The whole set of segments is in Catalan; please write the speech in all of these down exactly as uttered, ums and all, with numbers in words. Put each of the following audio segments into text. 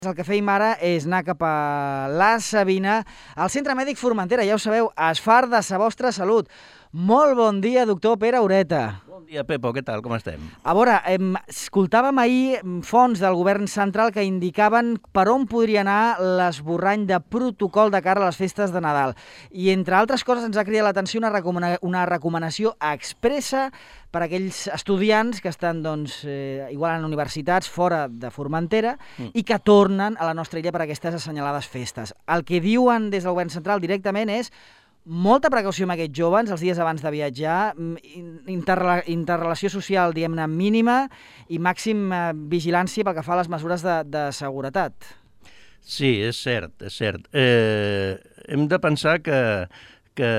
El que feim ara és anar cap a la Sabina, al Centre Mèdic Formentera. Ja ho sabeu, es far de sa vostra salut. Molt bon dia, doctor Pere Ureta. Bon dia, Pepo, què tal? Com estem? A veure, em, escoltàvem ahir fonts del govern central que indicaven per on podria anar l'esborrany de protocol de cara a les festes de Nadal. I, entre altres coses, ens ha cridat l'atenció una, recomana una recomanació expressa per a aquells estudiants que estan, doncs, eh, igual en universitats fora de Formentera mm. i que tornen a la nostra illa per a aquestes assenyalades festes. El que diuen des del govern central directament és molta precaució amb aquests joves els dies abans de viatjar, interrela interrelació social, diguem-ne, mínima i màxim eh, vigilància pel que fa a les mesures de, de seguretat. Sí, és cert, és cert. Eh, hem de pensar que, que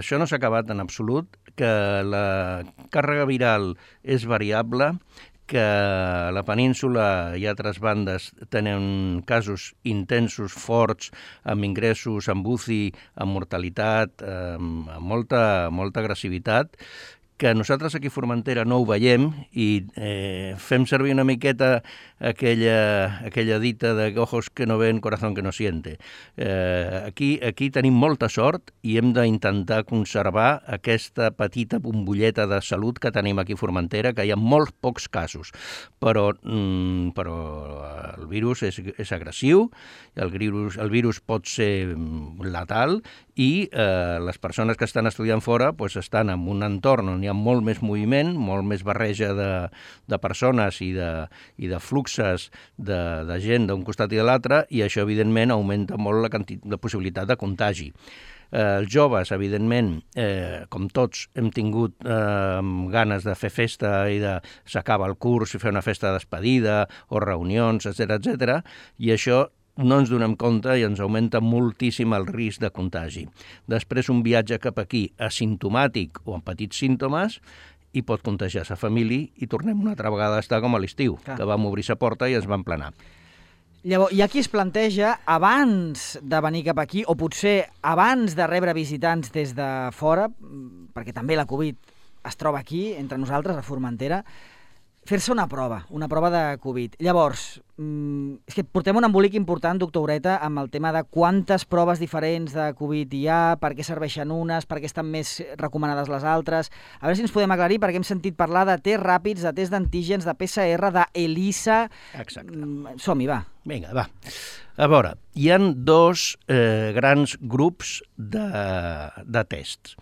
això no s'ha acabat en absolut, que la càrrega viral és variable, que a la península i altres bandes tenen casos intensos, forts, amb ingressos, amb U C I, amb mortalitat, amb molta, molta agressivitat, que nosaltres aquí a Formentera no ho veiem i eh, fem servir una miqueta aquella, aquella dita de ojos que no ven, corazón que no siente. Eh, aquí, aquí tenim molta sort i hem d'intentar conservar aquesta petita bombolleta de salut que tenim aquí a Formentera, que hi ha molts pocs casos, però, mm, però el virus és, és agressiu, el virus, el virus pot ser letal i eh, les persones que estan estudiant fora pues, estan en un entorn on hi ha molt més moviment, molt més barreja de, de persones i de, i de fluxes de, de gent d'un costat i de l'altre, i això, evidentment, augmenta molt la, la possibilitat de contagi. Eh, els joves, evidentment, eh, com tots, hem tingut eh, ganes de fer festa i de s'acaba el curs i fer una festa de despedida o reunions, etcètera, etcètera, i això no ens donem compte i ens augmenta moltíssim el risc de contagi. Després, un viatge cap aquí asimptomàtic o amb petits símptomes i pot contagiar sa família i tornem una altra vegada a estar com a l'estiu, que vam obrir sa porta i ens vam planar. Llavors, hi ha qui es planteja, abans de venir cap aquí, o potser abans de rebre visitants des de fora, perquè també la Covid es troba aquí, entre nosaltres, a Formentera, fer-se una prova, una prova de Covid. Llavors, és que portem un embolic important, doctor Ureta, amb el tema de quantes proves diferents de Covid hi ha, per què serveixen unes, per què estan més recomanades les altres. A veure si ens podem aclarir, perquè hem sentit parlar de tests ràpids, de tests d'antígens, de P C R, d'ELISA. Exacte. Som-hi, va. Vinga, va. A veure, hi ha dos eh, grans grups de, de tests.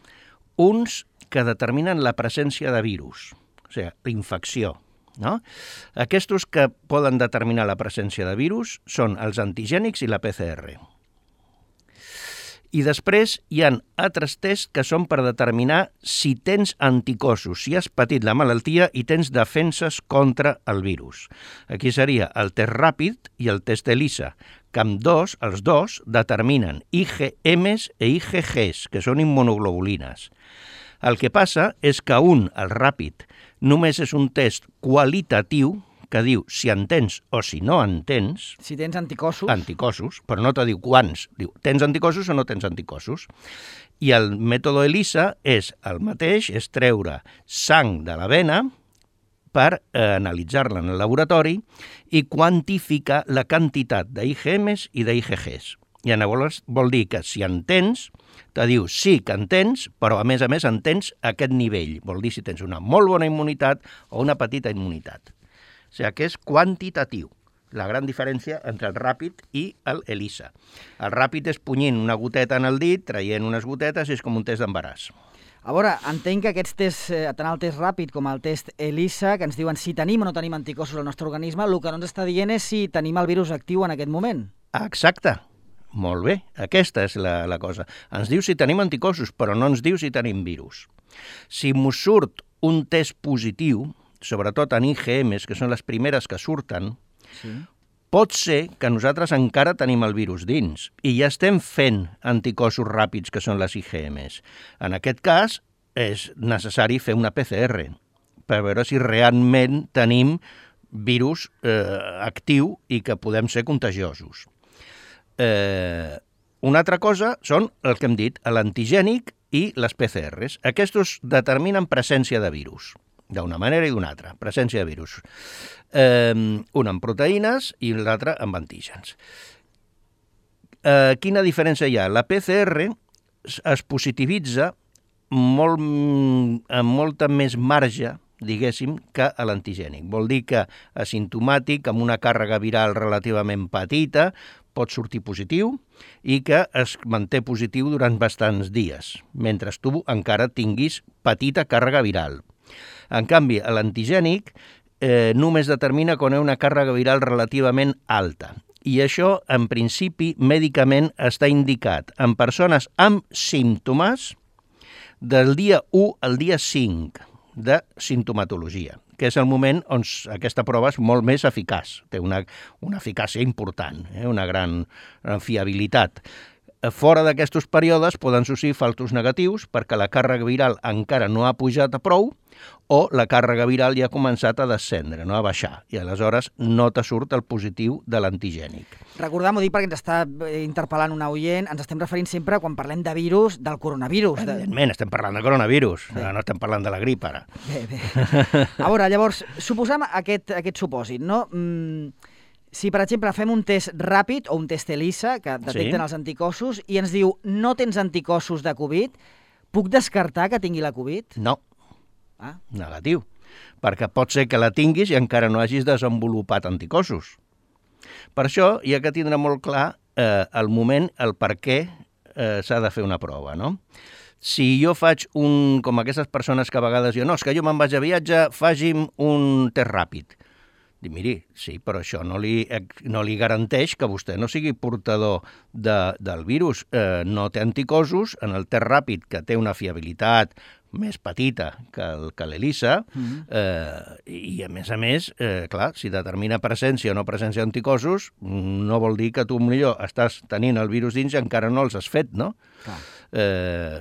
Uns que determinen la presència de virus, o sigui, l'infecció. No? Aquests que poden determinar la presència de virus són els antigènics i la P C R. I després hi ha altres tests que són per determinar si tens anticossos, si has patit la malaltia i tens defenses contra el virus. Aquí seria el test ràpid i el test ELISA, que amb dos, els dos determinen I G Ms i I G Gs, que són immunoglobulines. El que passa és que un, el ràpid, només és un test qualitatiu que diu si en tens o si no en tens. Si tens anticossos. Anticossos, però no te diu quants. Diu, tens anticossos o no tens anticossos. I el mètode ELISA és el mateix, és treure sang de la vena per eh, analitzar-la en el laboratori i quantificar la quantitat d'I G Ms i d'I G Gs. I llavors vol dir que si en tens, te diu sí que en tens, però a més a més en tens aquest nivell. Vol dir si tens una molt bona immunitat o una petita immunitat. O sigui que és quantitatiu. La gran diferència entre el ràpid i el ELISA. El ràpid és punyint una goteta en el dit, traient unes gotetes, i és com un test d'embaràs. A veure, entenc que aquests tests, tant el test ràpid com el test ELISA, que ens diuen si tenim o no tenim anticossos al nostre organisme, el que no ens està dient és si tenim el virus actiu en aquest moment. Exacte. Molt bé, aquesta és la, la cosa. Ens diu si tenim anticossos, però no ens diu si tenim virus. Si mos surt un test positiu, sobretot en I G Ms, que són les primeres que surten, sí. Pot ser que nosaltres encara tenim el virus dins i ja estem fent anticossos ràpids, que són les I G Ms. En aquest cas, és necessari fer una P C R per veure si realment tenim virus eh, actiu i que podem ser contagiosos. Eh, una altra cosa són el que hem dit, l'antigènic i les P C Rs. Aquests determinen presència de virus. d'una manera i d'una altra, presència de virus. Eh, un amb proteïnes i l'altre amb antígens. Eh, quina diferència hi ha? La P C R es positivitza molt, amb molta més marge, diguéssim, que a l'antigènic. Vol dir que asimptomàtic, amb una càrrega viral relativament petita, pot sortir positiu i que es manté positiu durant bastants dies, mentre tu encara tinguis petita càrrega viral. En canvi, l'antigènic eh, només determina quan hi ha una càrrega viral relativament alta. I això, en principi, mèdicament està indicat en persones amb símptomes del dia u al dia cinc de simptomatologia, que és el moment on aquesta prova és molt més eficaç, té una, una eficàcia important, eh? una gran fiabilitat. Fora d'aquests períodes poden sorgir falsos negatius perquè la càrrega viral encara no ha pujat a prou o la càrrega viral ja ha començat a descendre, no a baixar, i aleshores no te surt el positiu de l'antigènic. Recordem-ho, dic perquè ens està interpel·lant una oient, ens estem referint sempre, quan parlem de virus, del coronavirus. Evidentment, estem parlant de coronavirus, bé. No estem parlant de la grip ara. Bé, bé. A veure, llavors, suposem aquest, aquest supòsit, no? Mm, si, per exemple, fem un test ràpid o un test ELISA, que detecten sí. els anticossos, i ens diu no tens anticossos de Covid, puc descartar que tingui la Covid? No. Ah. Negatiu. Perquè pot ser que la tinguis i encara no hagis desenvolupat anticossos. Per això hi ha que tindre molt clar eh, el moment, el per què eh, s'ha de fer una prova, no? Si jo faig un... com aquestes persones que a vegades diuen no, és que jo me'n vaig a viatge, faci'm un test ràpid. Dic, miri, sí, però això no li, no li garanteix que vostè no sigui portador de, del virus. Eh, no té anticossos en el test ràpid, que té una fiabilitat més petita que l'ELISA, mm-hmm. eh, i a més a més, eh, clar, si determina presència o no presència d'anticossos, no vol dir que tu millor estàs tenint el virus dins i encara no els has fet, no? Clar. Eh,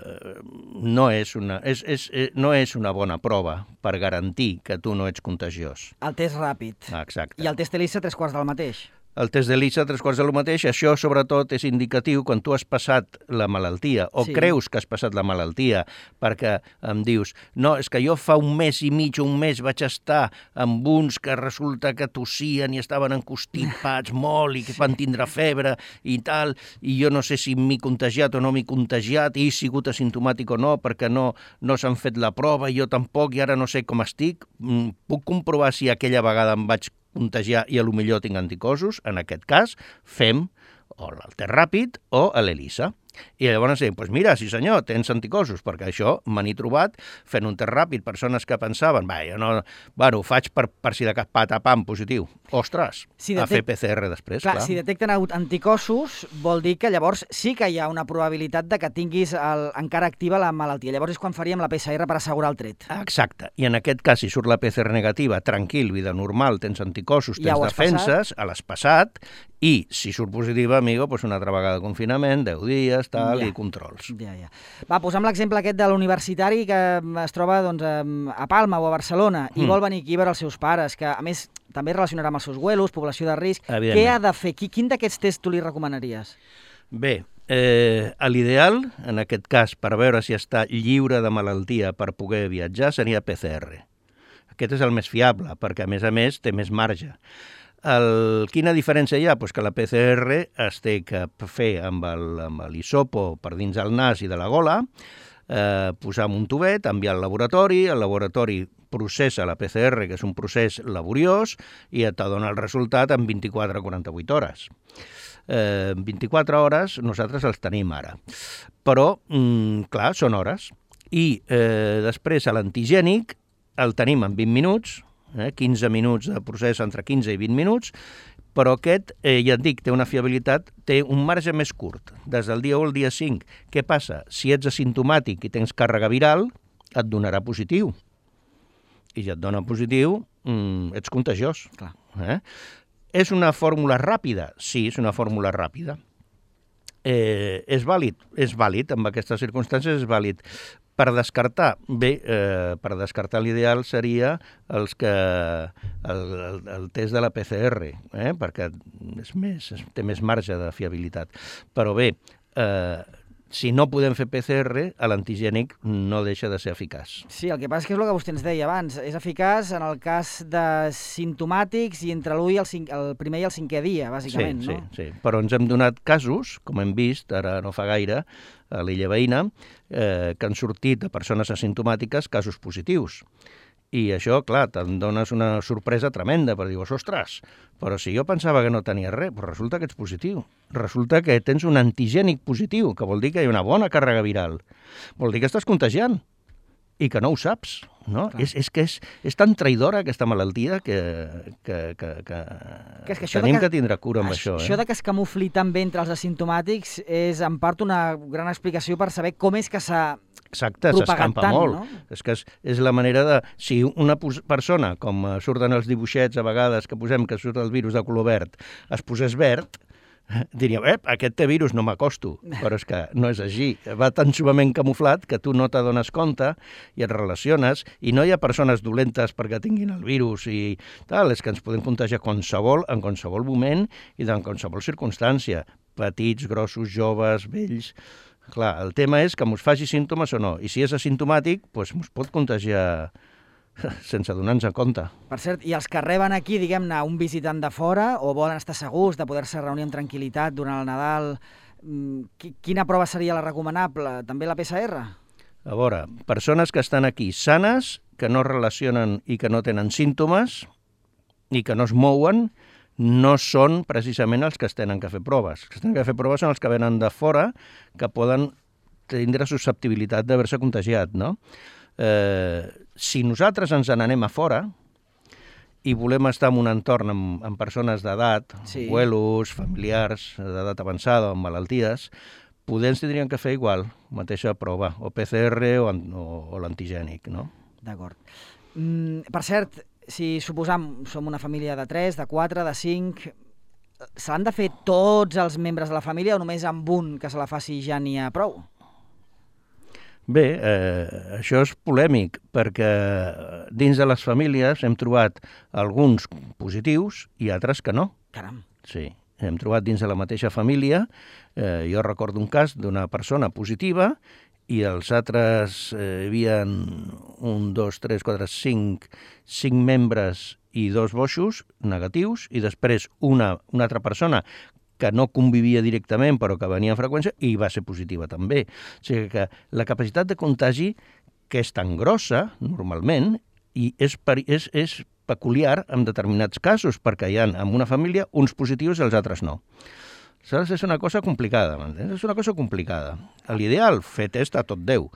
no, és una, és, és, no és una bona prova per garantir que tu no ets contagiós. El test ràpid. Exacte. I el test ELISA tres quarts del mateix. El test d'ELISA, tres quarts del mateix, això sobretot és indicatiu quan tu has passat la malaltia o sí. creus que has passat la malaltia, perquè em dius, no, és que jo fa un mes i mig, un mes vaig estar amb uns que resulta que tossien i estaven encostipats molt i que van tindre febre i tal, i jo no sé si m'he contagiat o no m'he contagiat i he sigut asimptomàtic o no, perquè no, no s'han fet la prova i jo tampoc i ara no sé com estic. Puc comprovar si aquella vegada em vaig contagiar i a lo millor tinc anticossos. En aquest cas, fem o el test ràpid o l'ELISA. I llavors diem, doncs mira, sí senyor, tens anticossos, perquè això me n'he trobat fent un test ràpid, persones que pensaven, va, jo no, bueno, ho faig per, per si de cap pata pam positiu. Ostres, si detect... a fer P C R després, clar. Clar, si detecten anticossos, vol dir que llavors sí que hi ha una probabilitat de que tinguis el, encara activa la malaltia. Llavors és quan faríem la P C R per assegurar el tret. Exacte. I en aquest cas, si surt la P C R negativa, tranquil, vida normal, tens anticossos, tens ja defenses, passat. A l'has passat, i si surt positiva, amigo, doncs una altra vegada de confinament, deu dies, tal, ja. I controls. Ja, ja. Va, posem l'exemple aquest de l'universitari que es troba doncs, a Palma o a Barcelona i mm. vol venir aquí a veure els seus pares, que a més també relacionarà amb els seus vuelos, població de risc. Què ha de fer? Quin d'aquests tests tu li recomanaries? Bé, eh, l'ideal, en aquest cas, per veure si està lliure de malaltia per poder viatjar, seria P C R. Aquest és el més fiable, perquè a més a més té més marge. El, quina diferència hi ha? Pues que la P C R es té que fer amb l'hisopo per dins el nas i de la gola, eh, posar en un tubet, enviar al laboratori, el laboratori processa la P C R, que és un procés laboriós, i et dona el resultat en vint-i-quatre a quaranta-vuit hores. Eh, vint-i-quatre hores nosaltres els tenim ara. Però, mm, clar, són hores. I eh, després a l'antigènic el tenim en vint minuts, eh, quinze minuts de procés entre quinze i vint minuts, però aquest, eh, ja et dic, té una fiabilitat, té un marge més curt, des del dia u al dia cinc. Què passa? Si ets asimptomàtic i tens càrrega viral, et donarà positiu. I si et dona positiu, mm, ets contagiós. Clar. Eh? És una fórmula ràpida? Sí, és una fórmula ràpida. Eh, és vàlid? És vàlid, en aquestes circumstàncies és vàlid. Per descartar, bé, eh, per descartar l'ideal seria els que, el, el, el test de la P C R, eh, perquè és més, té més marge de fiabilitat. Però bé, eh, si no podem fer P C R, l'antigènic no deixa de ser eficaç. Sí, el que passa és que és el que vostè ens deia abans. És eficaç en el cas de simptomàtics i entre l'u i el, cinc, el primer i el cinquè dia, bàsicament, sí, no? Sí, sí. Però ens hem donat casos, com hem vist ara no fa gaire, a l'illa veïna, eh, que han sortit de persones asimptomàtiques casos positius. I això, clar, te'n dones una sorpresa tremenda, perquè dius, ostres, però si jo pensava que no tenia res, però resulta que ets positiu. Resulta que tens un antigènic positiu, que vol dir que hi ha una bona càrrega viral. Vol dir que estàs contagiant i que no ho saps, no? És, és que és, és tan traïdora aquesta malaltia que, que, que, que, que, és que tenim que, que tindre cura amb això. Això eh? de que es camufli tan bé entre els asimptomàtics és en part una gran explicació per saber com és que s'ha Exacte, s'escampa molt. No? És que és, és la manera de... Si una persona, com surten els dibuixets a vegades que posem que surt el virus de color verd, es posés verd, diríem, eh, aquest té virus, no m'acosto. Però és que no és així. Va tan suament camuflat que tu no t'adones compte i et relaciones, i no hi ha persones dolentes perquè tinguin el virus i tal, és que ens podem contagiar qualsevol, en qualsevol moment i en qualsevol circumstància. Petits, grossos, joves, vells... Clar, el tema és que mos faci símptomes o no, i si és asimptomàtic, doncs mos pot contagiar sense donar-nos en compte. Per cert, i els que reben aquí, diguem-ne, un visitant de fora o volen estar segurs de poder-se reunir amb tranquil·litat durant el Nadal, quina prova seria la recomanable? També la P C R? A veure, persones que estan aquí sanes, que no relacionen i que no tenen símptomes i que no es mouen, no són precisament els que es tenen que fer proves. Els que es tenen que fer proves són els que venen de fora, que poden tindre susceptibilitat d'haver-se contagiat, no? Eh, si nosaltres ens n'anem a fora i volem estar en un entorn amb, amb persones d'edat, sí. abuelos, familiars, d'edat avançada, amb malalties, poder ens tindrien que fer igual, mateixa prova, o P C R o, o, o l'antigènic, no? D'acord. Mm, per cert, si suposam som una família de tres, de quatre, de cinc, se l'han de fer tots els membres de la família o només amb un que se la faci ja n'hi ha prou? Bé, eh, això és polèmic, perquè dins de les famílies hem trobat alguns positius i altres que no. Caram. Sí, hem trobat dins de la mateixa família, eh, jo recordo un cas d'una persona positiva i els altres eh, hi havia un, dos, tres, quatre, cinc, cinc membres i dos boixos negatius, i després una, una altra persona que no convivia directament però que venia en freqüència i va ser positiva també. O sigui que la capacitat de contagi, que és tan grossa normalment, i és, és, és peculiar en determinats casos, perquè hi ha en una família uns positius i els altres no. Saps? És una cosa complicada, m'entens? És una cosa complicada. L'ideal, fer test a tot Déu.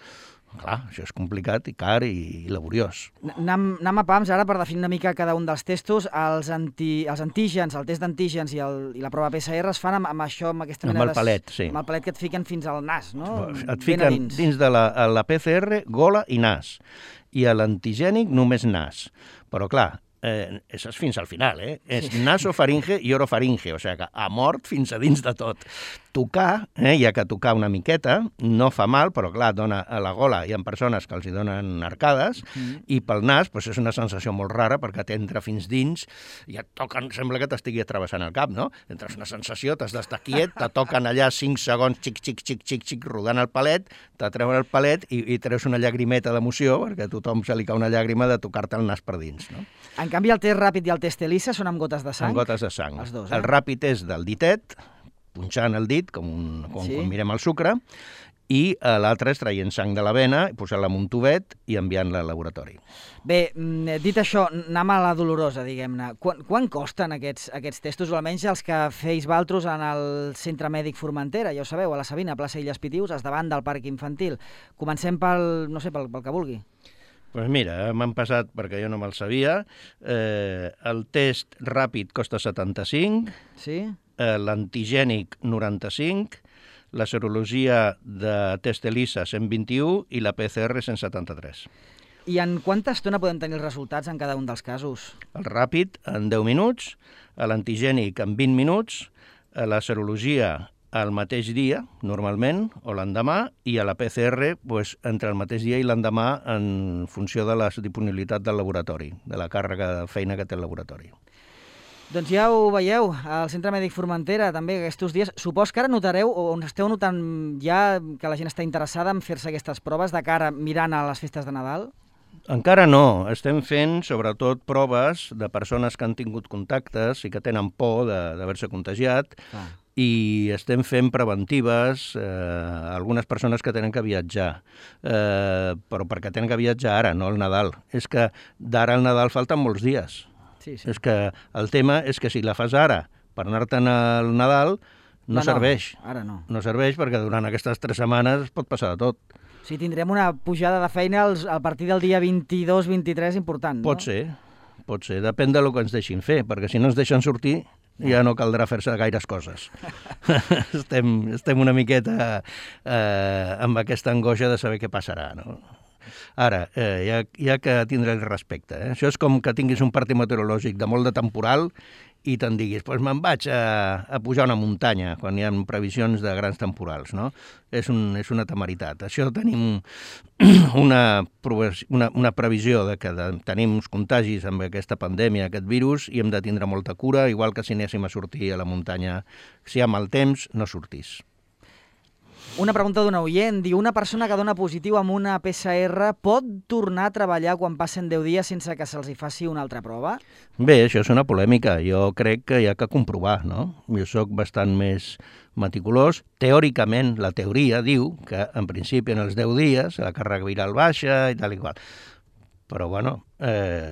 Clar, això és complicat i car i laboriós. Anem, anem a pams ara per definir una mica cada un dels testos. Els, anti, els antígens, el test d'antígens i, el, i la prova P C R es fan amb, amb això, amb aquesta mena amb el palet, sí. Amb el palet que et fiquen fins al nas, no? Et fiquen dins. dins de la, la P C R gola i nas. I a l'antigènic només nas. Però clar, Eh, això és fins al final, eh? És sí. nasofaringe i orofaringe, o sigui que a mort fins a dins de tot. Tocar, eh, hi ha que tocar una miqueta, no fa mal, però clar, dona a la gola, hi ha persones que els hi donen arcades, mm. i pel nas pues, és una sensació molt rara perquè t'entra fins dins i et toquen, sembla que t'estigui travessant el cap, no? Entres una sensació, t'has d'estar quiet, te toquen allà cinc segons, xic, xic, xic, xic, xic, rodant el palet, te treuen el palet i, i treus una llagrimeta d'emoció, perquè a tothom se li cau una llàgrima de tocar-te el nas per dins, no? En canvi, el test ràpid i el test ELISA són amb gotes de sang? Amb gotes de sang. Els dos, eh? El ràpid és del ditet, punxant el dit, com, un, com sí. quan mirem el sucre, i l'altre és traient sang de la vena, posant-la en un tubet i enviant-la al laboratori. Bé, dit això, anem a la dolorosa, diguem-ne. Quan, quan costen aquests, aquests testos, o almenys els que feis valtros en el Centre Mèdic Formentera, ja ho sabeu, a la Sabina, plaça Illes Pitius, davant del Parc Infantil. Comencem pel, no sé, pel, pel que vulgui. Doncs pues mira, m'han passat, perquè jo no me'l sabia, eh, el test ràpid costa setanta-cinc, sí? eh, l'antigènic noranta-cinc, la serologia de test ELISA cent vint-i-u i la P C R cent setanta-tres. I en quanta estona podem tenir els resultats en cada un dels casos? El ràpid en deu minuts, l'antigènic en vint minuts, la serologia el mateix dia, normalment, o l'endemà, i a la P C R pues, entre el mateix dia i l'endemà en funció de la disponibilitat del laboratori, de la càrrega de feina que té el laboratori. Doncs ja ho veieu, al Centre Mèdic Formentera, també aquests dies. Supos que ara notareu, o esteu notant ja que la gent està interessada en fer-se aquestes proves de cara mirant a les festes de Nadal? Encara no. Estem fent, sobretot, proves de persones que han tingut contactes i que tenen por d'haver-se contagiat, ah. i estem fent preventives a eh, algunes persones que tenen que viatjar, eh, però perquè tenen que viatjar ara, no al Nadal. És que d'ara al Nadal falten molts dies. Sí, sí. És que el tema és que si la fas ara per anar-te'n al Nadal, no, no serveix. No, ara no. No serveix perquè durant aquestes tres setmanes pot passar de tot. Sí, tindrem una pujada de feina als, a partir del dia vint-i-dos vint-i-tres important, no? Pot ser, pot ser. Depèn del que ens deixin fer, perquè si no ens deixen sortir ja no caldrà fer-se gaires coses. estem, estem una miqueta eh, amb aquesta angoixa de saber què passarà, no? Ara, eh, hi, ha, hi ha que tindre el respecte. Eh? Això és com que tinguis un partit meteorològic de molt de temporal i te'n diguis, doncs me'n vaig a, a pujar una muntanya quan hi ha previsions de grans temporals, no? És, un, és una temeritat. Això tenim una, una, una previsió de que de, tenim uns contagis amb aquesta pandèmia, aquest virus, i hem de tindre molta cura, igual que si anéssim a sortir a la muntanya. Si hi ha mal temps, no sortís. Una pregunta d'un oient, diu, una persona que dona positiu amb una P C R pot tornar a treballar quan passen deu dies sense que se'ls hi faci una altra prova? Bé, això és una polèmica. Jo crec que hi ha que comprovar, no? Jo sóc bastant més meticulós. Teòricament, la teoria diu que, en principi, en els deu dies, la càrrega viral baixa i tal i qual. Però, bueno, eh,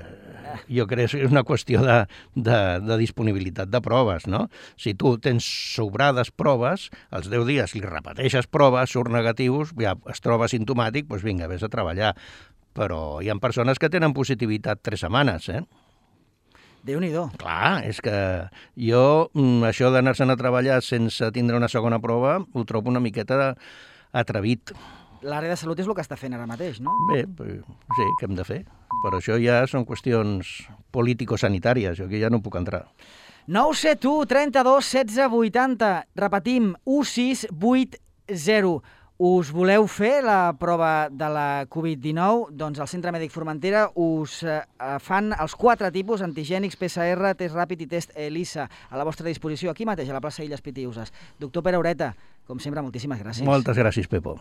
jo crec que és una qüestió de, de, de disponibilitat de proves, no? Si tu tens sobrades proves, als deu dies li repeteixes proves, surt negatius, ja es troba simptomàtic, doncs vinga, vés a treballar. Però hi ha persones que tenen positivitat tres setmanes, eh? Déu-n'hi-do. Clar, és que jo, això d'anar-se'n a treballar sense tindre una segona prova, ho trobo una miqueta atrevit. L'àrea de salut és el que està fent ara mateix, no? Bé, sí, què hem de fer? Però això ja són qüestions político-sanitàries, jo aquí ja no puc entrar. nou set u, trenta-dos, setze, vuitanta. Repetim, u sis vuit zero. Us voleu fer la prova de la covid dinou? Doncs al Centre Mèdic Formentera us eh, fan els quatre tipus, antigènics, P C R, test ràpid i test ELISA, a la vostra disposició, aquí mateix, a la plaça Illes Pitiuses. Doctor Pere Ureta, com sempre, moltíssimes gràcies. Moltes gràcies, Pepo.